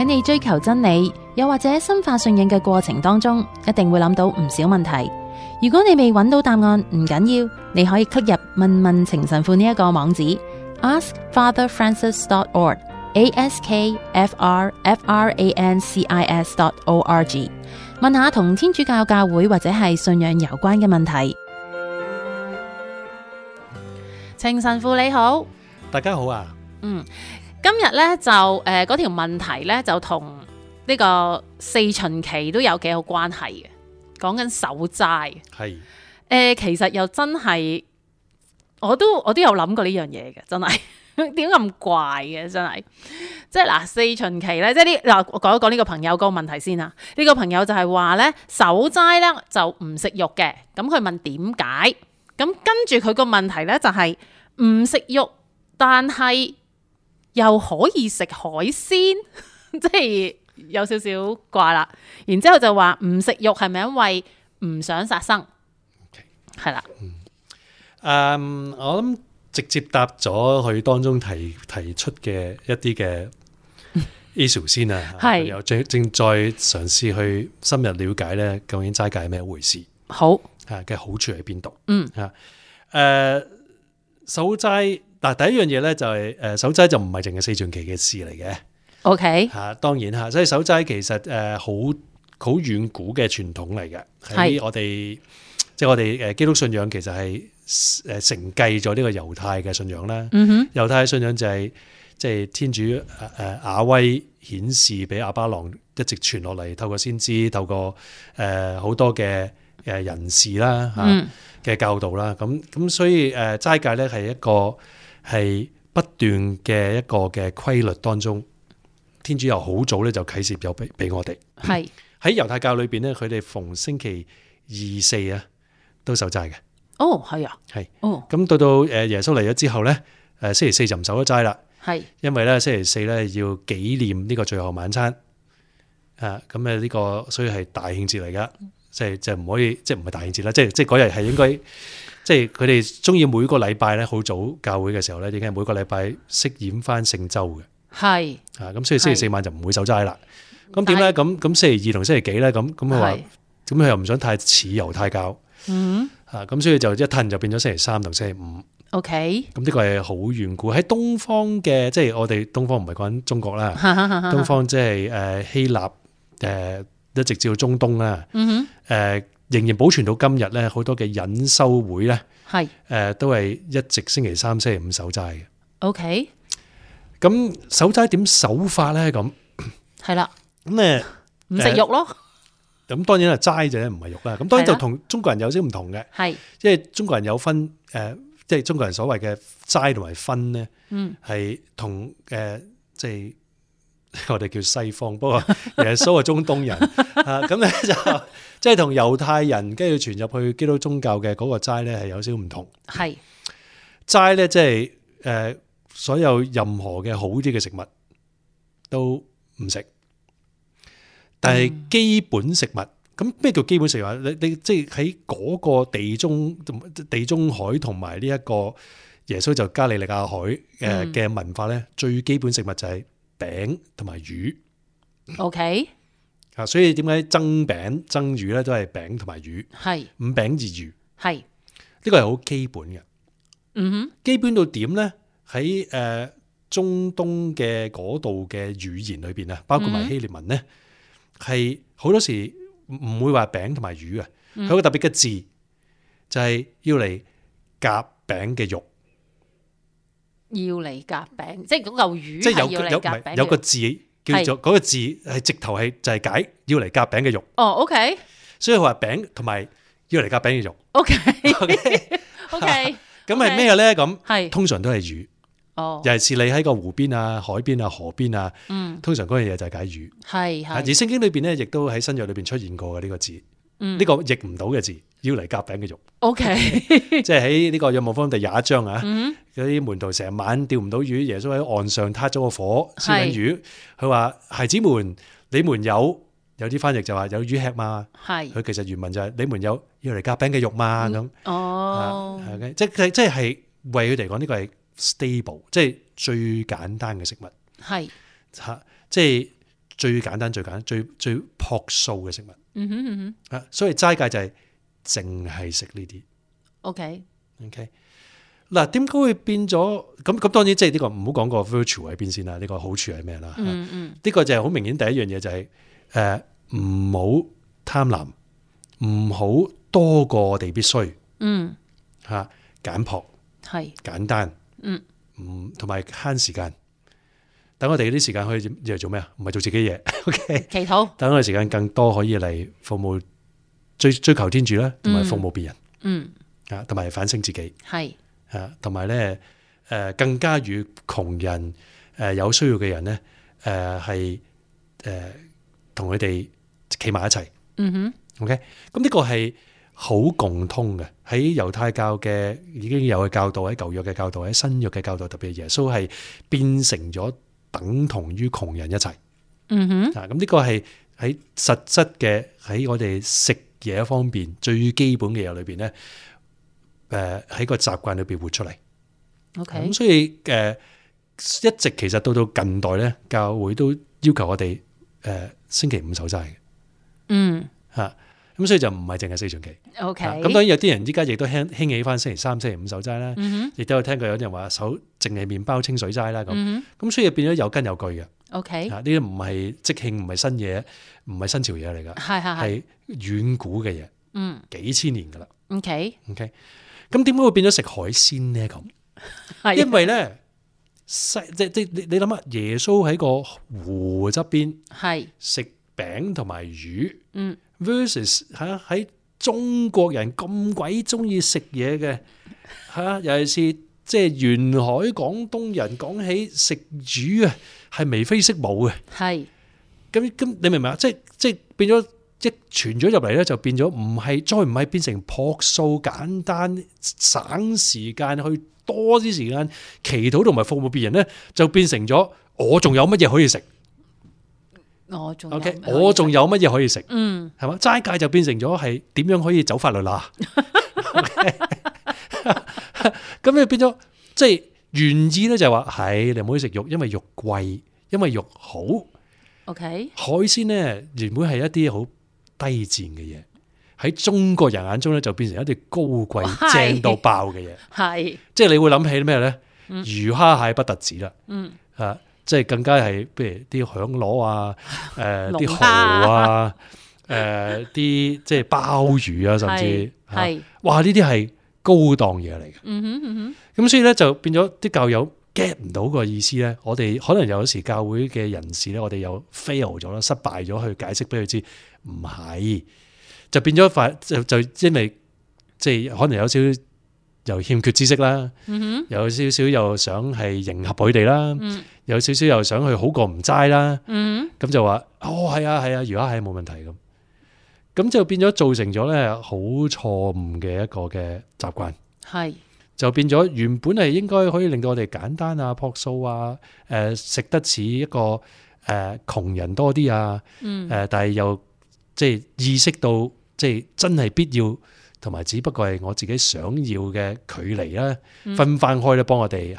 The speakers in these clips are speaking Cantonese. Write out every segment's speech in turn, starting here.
喺你追求真理，又或者深化信仰嘅過程當中，一定會諗到唔少問題。如果你未揾到答案，唔緊要，你可以 click 入問問情神父呢一個網址 askfatherfrancis.org，askfrfrancis.org， 問下同天主教教會或者係信仰有關嘅問題。情神父你好，大家好啊。今日咧就嗰條問題咧就同呢個四旬期都有幾有關係嘅，講緊守齋。係其實又真係我都有諗過呢樣嘢嘅，真係點解咁怪嘅？真係即係嗱，四旬期咧，即係嗱，我講一講呢個朋友嗰個問題先啊。呢個朋友就係話咧守齋咧就唔食肉嘅，咁佢問點解？咁跟住佢個問題咧就係唔食肉，但係又可以食海鮮，即係有少少怪啦。然之後就話唔食肉係咪因為唔想殺生？係啦。我諗直接答咗佢當中提出嘅一啲嘅 issue 先啊。係又正在嘗試去深入了解咧，究竟齋戒係咩回事？好嘅好處喺邊度？守齋嗱，第一樣嘢咧就係守齋就唔係淨係四旬期嘅事嚟嘅。OK 當然嚇，所以守齋其實好遠古嘅傳統嚟嘅。喺我哋即係我哋基督信仰其實係承繼咗呢個猶太嘅信仰啦。猶太嘅信仰就係即係天主雅威顯示俾亞巴郎一直傳落嚟，透過先知，透過好多嘅人士啦嘅教導啦。咁所以齋戒咧係一個係不斷嘅一個嘅規律當中，天主又好早咧就啟示咗俾我哋。係喺猶太教裏邊咧，佢哋逢星期2、4啊都守齋嘅。哦，係啊，係。哦，咁到耶穌嚟咗之後咧，星期4就唔守咗齋啦。係，因為咧星期4咧要紀念呢個最後晚餐。咁呢個所以係大慶節嚟噶，即係唔可以，即係唔係大慶節啦，即係嗰日係應該。即係佢哋中意每個禮拜咧，好早教會嘅時候咧，已經係每個禮拜飾演翻聖週嘅。係咁所以星期4晚就唔會守齋啦。咁點咧？咁星期2同星期幾咧？咁佢話，咁佢又唔想太似猶太教。咁所以就一褪就變咗星期3同星期5。OK。咁呢個係好遠古喺東方嘅，即係我哋東方唔係講緊中國啦，東方即係希臘一直至到中東啦。仍然保存到今日咧，好多嘅隱修會咧，都係一直星期3、星期5守齋嘅。OK，咁守齋點守法咧？咁係啦，咁唔食肉咯。咁當然係齋就唔係肉啦。咁當然就同中國人有啲唔同嘅，係即係中國人有分即係中國人所謂嘅齋同埋分咧，係同即係。我哋叫西方，不過耶穌係中東人咁咧就即係同猶太人跟住傳入去基督宗教嘅嗰個齋咧係有少少唔同。係齋咧即係所有任何嘅好啲嘅食物都唔食，但係基本食物咁咩叫基本食物？你即係喺嗰個地中海同埋呢一個耶穌就加利利亞海嘅文化咧，最基本食物就係餅同埋魚。OK 所以點解蒸餅蒸魚咧都係餅同埋魚，係五餅二魚，係呢個係好基本嘅。基本到點咧？喺中東嘅嗰度嘅語言裏邊啊，包括埋希臘文咧，係好多時唔會話餅同埋魚嘅，佢有個特別嘅字就係要嚟夾餅嘅肉。要嚟夾餅，即係嗰嚿魚，即係有個字叫做嗰個字係直頭係就係解要嚟夾餅嘅肉。哦 ，OK， 所以佢話餅同埋要嚟夾餅嘅肉。OK，OK，咁係咩咧？咁係通常都係魚。哦，尤其是你喺個湖邊啊、海邊啊、河邊啊，通常嗰樣嘢就係解魚。係係，而聖經裏邊咧，亦都喺新約裏邊出現過嘅呢個字。呢個譯唔到嘅字，要嚟夾餅嘅肉。OK， 即係喺呢個約翰福音第21章啊，嗰啲門徒成晚釣唔到魚，耶穌喺岸上撻咗個火燒緊魚，佢話孩子們，你們有啲翻譯就話有魚吃嘛，係佢其實原文就係你們有要嚟夾餅嘅肉嘛咁。哦，即係為佢哋講呢個係 stable， 即係最簡單嘅食物。係嚇，即係最簡單、最樸素嘅食物。所以齋戒就係淨係食呢啲。OK。嗱，點解會變咗咁？當然即係呢個唔好講個 virtue 喺邊先啦。呢個好處係咩啦？呢個就係好明顯第一樣嘢就係唔好貪婪，唔好多過我哋必須。簡樸係簡單。同埋慳時間。等我哋啲時間可以嚟做咩啊？唔係做自己嘢。OK。祈禱。等我哋時間更多可以嚟服務追求天主啦，同埋服務別人。同埋反省自己。係。同埋咧，更加與窮人有需要嘅人咧，係同佢哋企埋一齊。OK，咁呢個係好共通嘅，喺猶太教嘅已經有嘅教導，喺舊約嘅教導，喺新約嘅教導，特別耶穌係變成咗等同於窮人一齊。咁呢個係喺實質嘅喺我哋食嘢方面最基本嘅嘢裏邊咧。喺個習慣裏邊活出嚟。OK，咁所以一直其實到近代咧，教會都要求我哋星期五守齋嘅。咁所以就唔係淨係4旬期。OK，咁當然有啲人依家亦都興起翻星期3、星期5守齋啦。亦都有聽過有啲人話守淨係麵包清水齋啦。咁所以變咗有根有據嘅。OK，呢啲唔係即興，唔係新嘢，唔係新潮嘢嚟噶，係遠古嘅嘢。幾千年噶啦。OK。咁點解會變咗食海鮮咧？咁，因為咧，即你諗下，耶穌喺個湖側邊，係食餅同埋魚，versus 喺中國人咁鬼中意食嘢嘅，尤其是即係沿海廣東人講起食魚啊，係眉飛色舞嘅。係，咁你明唔明啊？即係變咗。即傳咗入嚟咧，就變咗再唔係變成樸素簡單省時間去多啲時間祈禱同埋服務別人咧，就變成咗我仲有乜嘢可以食？我仲有乜嘢可以食？係嘛？齋戒就變成咗係點樣可以走法律啦？咁你變咗即係原意咧，就係話係你唔可以食肉，因為肉貴，因為肉好。OK，海鮮咧原本係一啲好低賤嘅嘢，喺中國人眼中咧就變成一啲高貴正到爆嘅嘢，係即係你會諗起咩咧？魚蝦蟹不特止啦，即係更加係譬如啲響螺啊，啲蠔啊，啲即係鮑魚啊，甚至係哇呢啲係高檔嘢嚟嘅。咁所以咧就變咗啲教友 get 唔到個意思咧，我哋可能有時教會嘅人士咧，我哋又 fail 咗啦，失敗咗去解釋俾佢知。唔係，就變咗就因為即係可能有少少又欠缺知識啦，有少少又想係迎合佢哋啦，有少少又想去好過唔齋啦，咁就話係啊，魚蝦係冇問題咁就變咗造成咗咧好錯誤嘅一個嘅習慣，係就變咗原本係應該可以令到我哋簡單啊、樸素啊，食得似一個窮人多啲啊，但係又即係意識到，即係真係必要，同埋只不過係我自己想要嘅距離啦，分翻開咧，幫我哋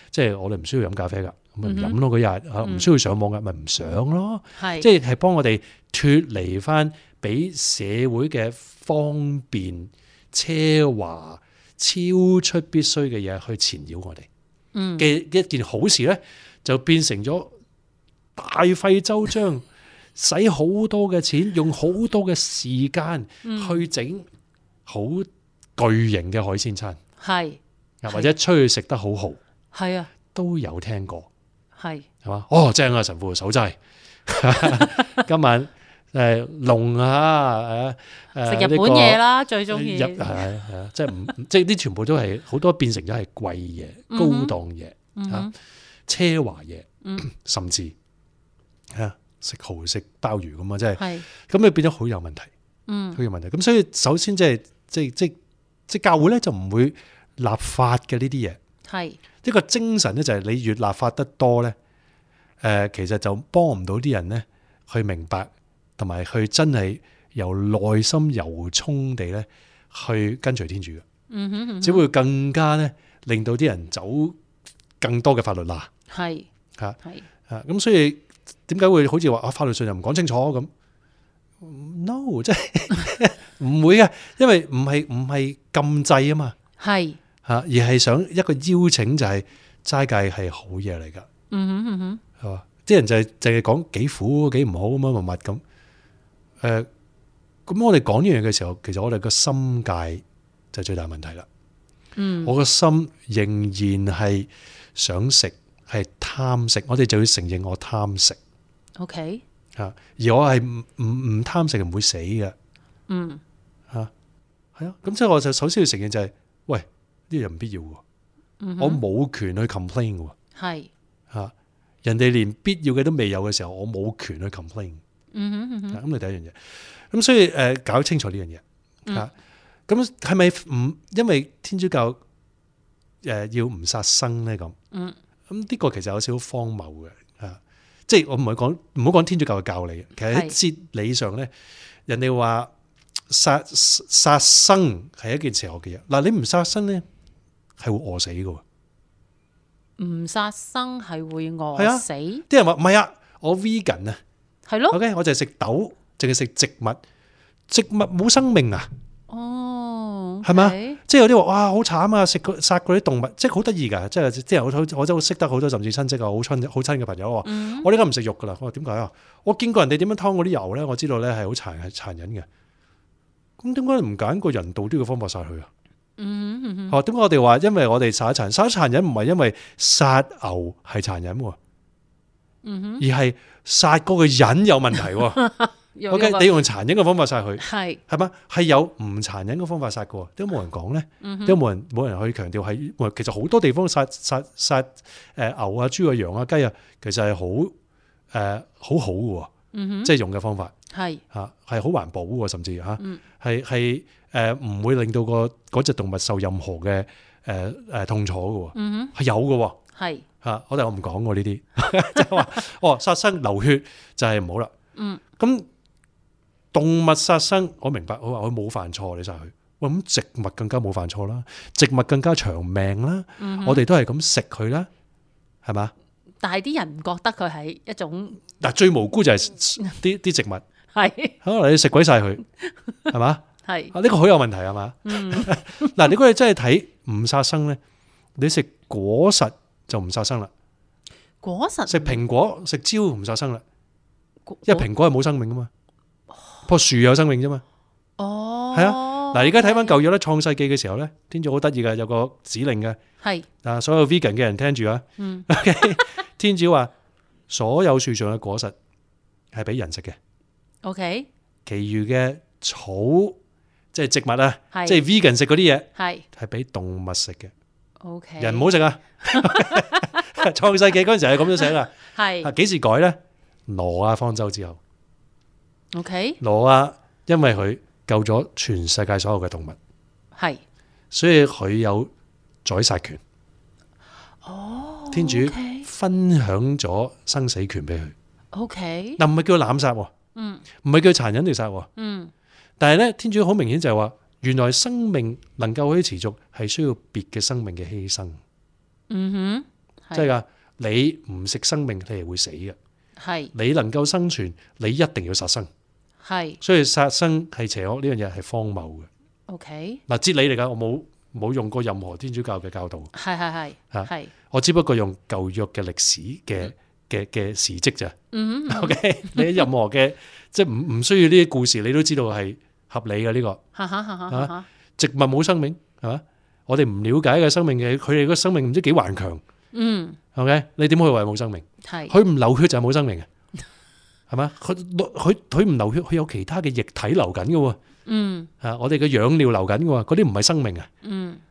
即係我哋唔需要飲咖啡噶，咪唔飲咯嗰日，唔需要上網噶，咪唔上咯，即係幫我哋脫離翻俾社會嘅方便、奢華、超出必須嘅嘢去纏繞我哋嘅一件好事咧，就變成咗大費周章。使好多嘅錢，用好多嘅時間去整好巨型嘅海鮮餐，係或者出去食得好豪，係啊，都有聽過，係嘛？正啊！神父守齋，今晚龍啊，食日本嘢啦，最中意係啊，即係啲全部都係好多變成咗係貴嘢、高檔嘢奢華嘢，甚至食蠔食鮑魚咁啊，即係咁你變咗好有問題，好有問題。咁所以首先即係教會咧就唔會立法嘅呢啲嘢，係呢個精神咧就係你越立法得多咧，其實就幫唔到啲人咧去明白，同埋去真係由內心由衷地咧去跟隨天主嘅，只會更加咧令到啲人走更多嘅法律罅，係咁所以。點解會好似話法律上又唔講清楚咁 ？No， 即係唔會嘅，因為唔係禁制啊嘛，係而係想一個邀請，就係齋戒係好嘢嚟噶。係嘛？啲人就係淨係講幾苦幾唔好咁乜咁。咁我哋講呢樣嘅時候，其實我哋個心界就係最大問題啦。我個心仍然係想食，係貪食，我哋就要承認我貪食。OK， 而我係唔貪食唔會死嘅。係啊，咁所以我就首先要承認就係，喂，呢樣唔必要嘅，我冇權去 complain 嘅。係人哋連必要嘅都未有嘅時候，我冇權去 complain。咁你第一樣嘢，咁所以搞清楚呢樣嘢。咁係咪唔因為天主教要唔殺生咧？咁呢個其實有少少荒謬嘅。即係我唔好講天主教嘅教理，其實喺哲理上咧，人哋話殺生係一件邪惡嘅嘢。嗱，你唔殺生咧，係會餓死嘅。唔殺生係會餓死？啲人話唔係啊，我 vegan 啊，係咯。OK， 我就係食豆，淨係食植物，植物冇生命啊。係嘛？即係有啲話哇好慘啊！殺嗰啲動物，即係好得意噶。即係啲人我都識得好多，甚至親戚啊，好親嘅朋友話：我呢家唔食肉噶啦。我話點解啊？我見過人哋點樣劏嗰啲油咧，我知道咧係好殘忍嘅。咁點解唔揀個人道啲嘅方法殺佢啊？點解我哋話因為我哋殺殘忍唔係因為殺牛係殘忍，而係殺嗰個人有問題。OK， 你用殘忍嘅方法殺佢，係嘛？係有唔殘忍嘅方法殺嘅，都冇人講咧，都冇人去強調係。其實好多地方殺牛啊、豬啊、羊啊、雞啊，其實係好好嘅，即係用嘅方法係好環保嘅，甚至係唔會令到嗰隻動物受任何嘅痛楚嘅，係有嘅，係我唔講過呢啲，即係話殺生流血就係唔好啦。咁動物殺生，我明白，我話佢冇犯錯，你殺佢。喂，咁植物更加冇犯錯啦，植物更加長命啦，我哋都係咁食佢啦，係嘛？但係啲人唔覺得佢係一種嗱，最無辜就係啲植物，係可能你食鬼晒佢，係嘛？係呢個好有問題係嘛？嗱，如果你真係睇唔殺生咧，你食果實就唔殺生啦。果實食蘋果食蕉唔殺生啦，因為蘋果係冇生命噶嘛。棵樹有生命啫嘛，係啊。嗱，而家睇翻舊約咧，創世記嘅時候咧，天主好得意嘅，有個指令嘅，係所有 vegan 嘅人聽住啊。天主話所有樹上嘅果實係俾人食嘅，OK， 其餘嘅草即係植物啊，即係 vegan 食嗰啲嘢係俾動物食嘅，OK， 人唔好食啊。創世記嗰陣時係咁樣寫噶，係幾時改咧？挪亞方舟之後。OK， 挪亞因為佢救咗全世界所有嘅動物，係，所以佢有宰殺權。天主分享咗生死權俾佢。OK， 嗱，唔係叫濫殺，唔係叫殘忍地殺，但係咧，天主好明顯就係話，原來生命能夠可以持續，係需要別嘅生命嘅犧牲。即係噶，你唔食生命，你係會死嘅。係，你能夠生存，你一定要殺生。係，所以殺生係邪惡呢樣嘢係荒謬嘅。OK， 嗱，哲理嚟噶，我冇用過任何天主教嘅教導。係，我只不過用舊約嘅歷史嘅事蹟咋。OK， 你任何嘅即係唔需要呢啲故事，你都知道係合理嘅呢個。植物冇生命係嘛？我哋唔了解嘅生命嘅，佢哋個生命唔知幾頑強。OK， 你點可以話冇生命？係，佢唔流血就係冇生命嘅。係嘛？佢唔流血，佢有其他嘅液體流緊嘅。我哋嘅養料流緊嘅，嗰啲唔係生命啊。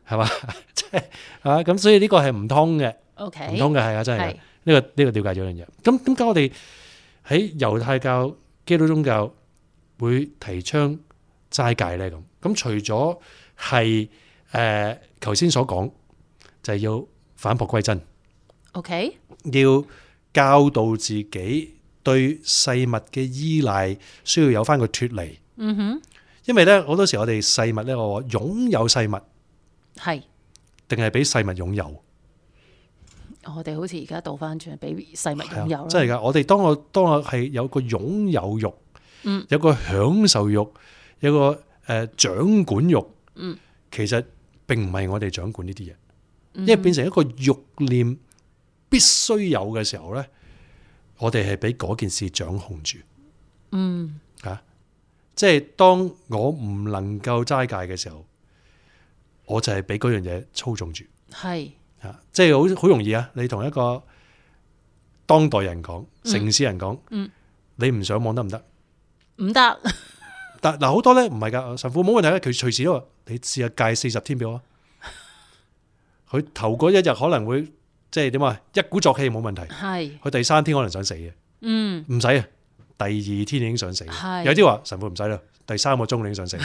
係嘛？即係咁，所以呢個係唔通嘅。OK， 唔通嘅係啊，真係呢個了解咗樣嘢。咁點解我哋喺猶太教、基督宗教會提倡齋戒咧？咁除咗係頭先所講，就係要返璞歸真。OK， 要教導自己。對世物嘅依賴需要有翻個脫離，因為咧好多時我哋世物咧，我話擁有世物係，定係俾世物擁有？我哋好似而家倒翻轉，俾細物擁有。真係㗎！我哋當我係有個擁有欲，有個享受欲，有個掌管欲，其實並唔係我哋掌管呢啲嘢，因為變成一個慾念必須有嘅時候咧，我哋係俾嗰件事掌控住。即係當我唔能夠齋戒嘅時候，我就係俾嗰樣嘢操縱住。係即係好容易啊！你同一個當代人講，城市人講，你唔上網得唔得？唔得。但嗱好多咧唔係噶，神父冇問題嘅，佢隨時都話你試下戒40天俾我。佢頭嗰一日可能會即係點啊，一鼓作氣冇問題。係佢第3天可能想死嘅。唔使啊，第2天已經想死。有啲話神父唔使啦，第3個鐘你已經想死。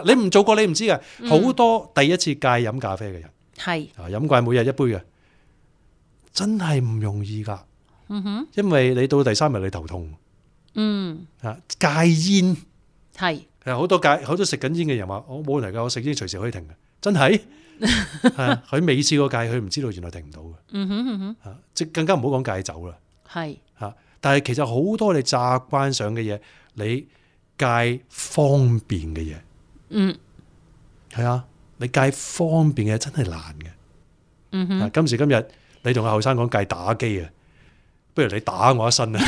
你唔做過你唔知噶，好多第一次戒飲咖啡嘅人，係飲慣每日一杯嘅，真係唔容易噶。因為你到第3日你頭痛。戒煙係好多食緊煙嘅人話我冇問題噶，我食煙隨時可以停嘅，真係佢未試過戒，佢唔知道原來停唔到嘅。即更加唔好講戒酒啦。係但係其實好多你習慣上嘅嘢，你戒方便嘅嘢，係啊，你戒方便嘅嘢真係難嘅。今時今日你同阿後生講戒打機啊，不如你打我一身啊！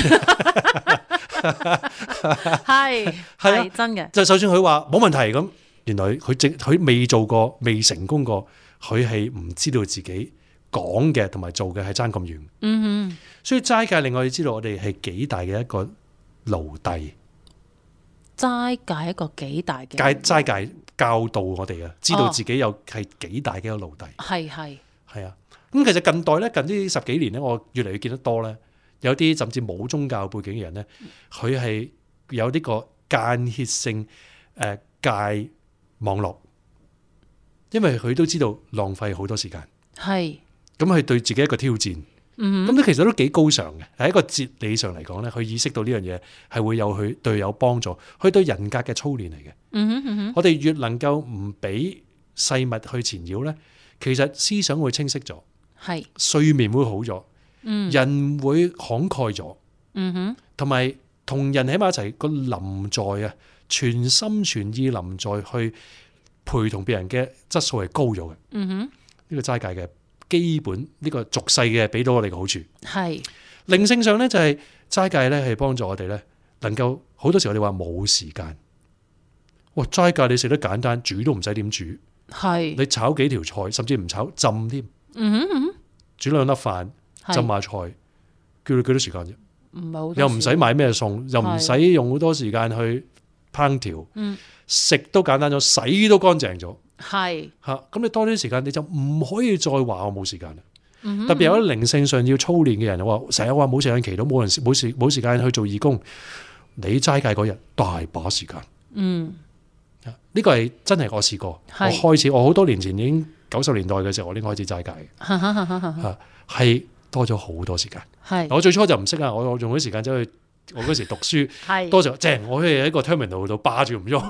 係真嘅，就算佢話冇問題咁，原來佢未做過，未成功過，佢係唔知道自己講嘅同埋做嘅係爭咁遠。所以齋戒令我哋知道我哋係幾大嘅一個奴隸。齋戒一個幾大嘅齋戒教導我哋啊，知道自己有係幾大嘅一個奴隸。係啊，咁其實近代咧，近呢10幾年咧，我越嚟越見得多咧。有啲甚至冇宗教背景嘅人咧，佢係有呢個間歇性戒網絡，因為佢都知道浪費好多時間。係咁，佢對自己一個挑戰。咁其實都幾高尚嘅，喺一個哲理上嚟講咧，佢意識到呢樣嘢係會有佢對有幫助，佢對人格嘅操練嚟嘅。我哋越能夠唔俾細物去纏繞咧，其實思想會清晰咗，係睡眠會好咗。人會慷慨咗，同埋同人喺埋一齊個臨在啊，全心全意臨在去陪同別人嘅質素係高咗嘅。呢個齋戒嘅基本呢個俗世嘅俾到我哋嘅好處係靈性上咧，就係齋戒咧係幫助我哋咧能夠好多時我哋話冇時間，哇齋戒你食得簡單，煮都唔使點煮，係你炒幾條菜甚至唔炒浸添，煮2粒飯。浸下菜，叫你幾多時間啫？又唔使買咩餸，又唔使用好多時間去烹調，食都簡單咗，洗都乾淨咗。係吓，咁你多啲時間，你就唔可以再話我冇時間啦。特別有啲靈性上要操練嘅人，話成日話冇時間祈禱，冇時間去做義工。你齋戒嗰日大把時間。呢個係真係我試過。我好多年前已經90年代嘅時候，我已經開始齋戒嘅。係。多咗好多時間，我最初就唔識啊！我用啲時間走去，我嗰時讀書，多咗正，我可以喺個 terminal 度霸住唔喐，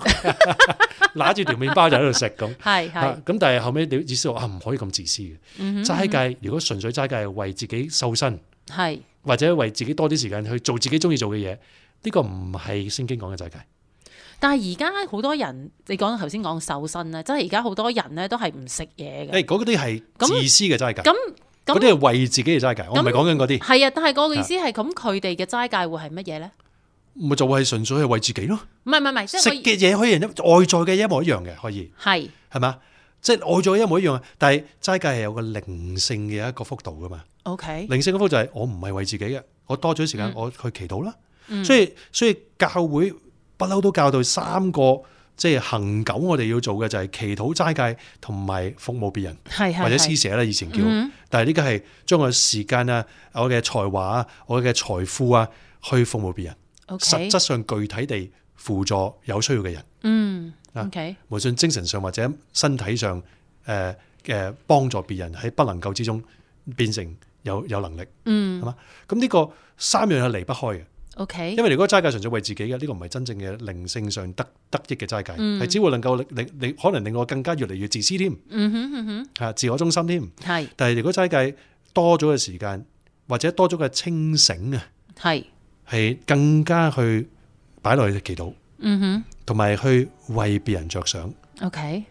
拿住條麵包就喺度食咁。咁但係後尾你意思話唔可以咁自私嘅。齋戒如果純粹齋戒係為自己瘦身，或者為自己多啲時間去做自己中意做嘅嘢，呢個唔係聖經講嘅齋戒。但係而家好多人，你講頭先講瘦身咧，即係而家好多人咧都係唔食嘢嘅。嗰啲係自私嘅齋戒。嗰啲係為自己嘅齋戒，我唔係講緊嗰啲。係啊，但係嗰個意思係咁，佢哋嘅齋戒會係乜嘢咧？咪就係純粹係為自己咯。唔係，食嘅嘢可以外在嘅一模一樣嘅，可以係嘛？即係外在嘅一模一樣，但係齋戒係有個靈性嘅一個幅度噶嘛。OK，靈性嘅幅度就係我唔係為自己嘅，我多咗時間我去祈禱啦。所以教會不嬲都教導3個。即係恆久，我哋要做嘅就係祈禱、齋戒同埋服務別人，或者施捨啦，以前叫。但係呢個係將我時間啊、我嘅才華啊、我嘅財富啊，去服務別人。實質上具體地輔助有需要嘅人。無論精神上或者身體上，幫助別人喺不能夠之中變成有能力。係嘛？咁呢個3樣係離不開嘅。OK，因為如果齋戒純粹為自己嘅，呢個唔係真正嘅靈性上得益嘅齋戒，係只會能夠可能令我更加越嚟越自私添，自我中心添。係，但係如果齋戒多咗嘅時間，或者多咗嘅清醒啊，係更加去擺落去祈禱，同埋去為別人着想。OK，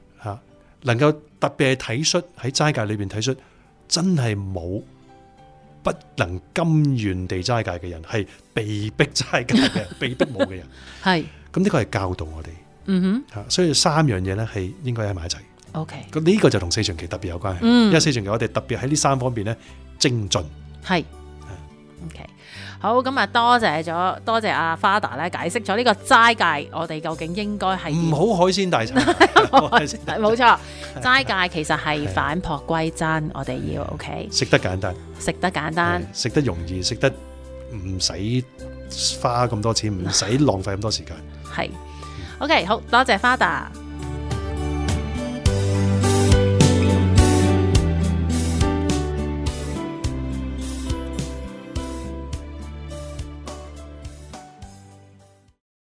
能夠特別係體恤喺齋戒裏邊體恤，真係冇不能甘願地齋戒嘅人，係被逼齋戒嘅人，被逼冇嘅人。係，咁呢個係教導我哋。所以三樣嘢咧係應該喺埋一齊。OK，咁呢個就同四旬期特別有關係。因為四旬期我哋特別喺呢三方面咧精進。係。OK，好，咁啊，多謝阿 Father 咧解釋咗呢個齋戒，我哋究竟應該係唔好海鮮大餐，冇錯，齋戒其實係返璞歸真，我哋要 OK， 食得簡單，食得容易，食得唔使花咁多錢，唔使浪費咁多時間，係 OK， 好多謝 Father。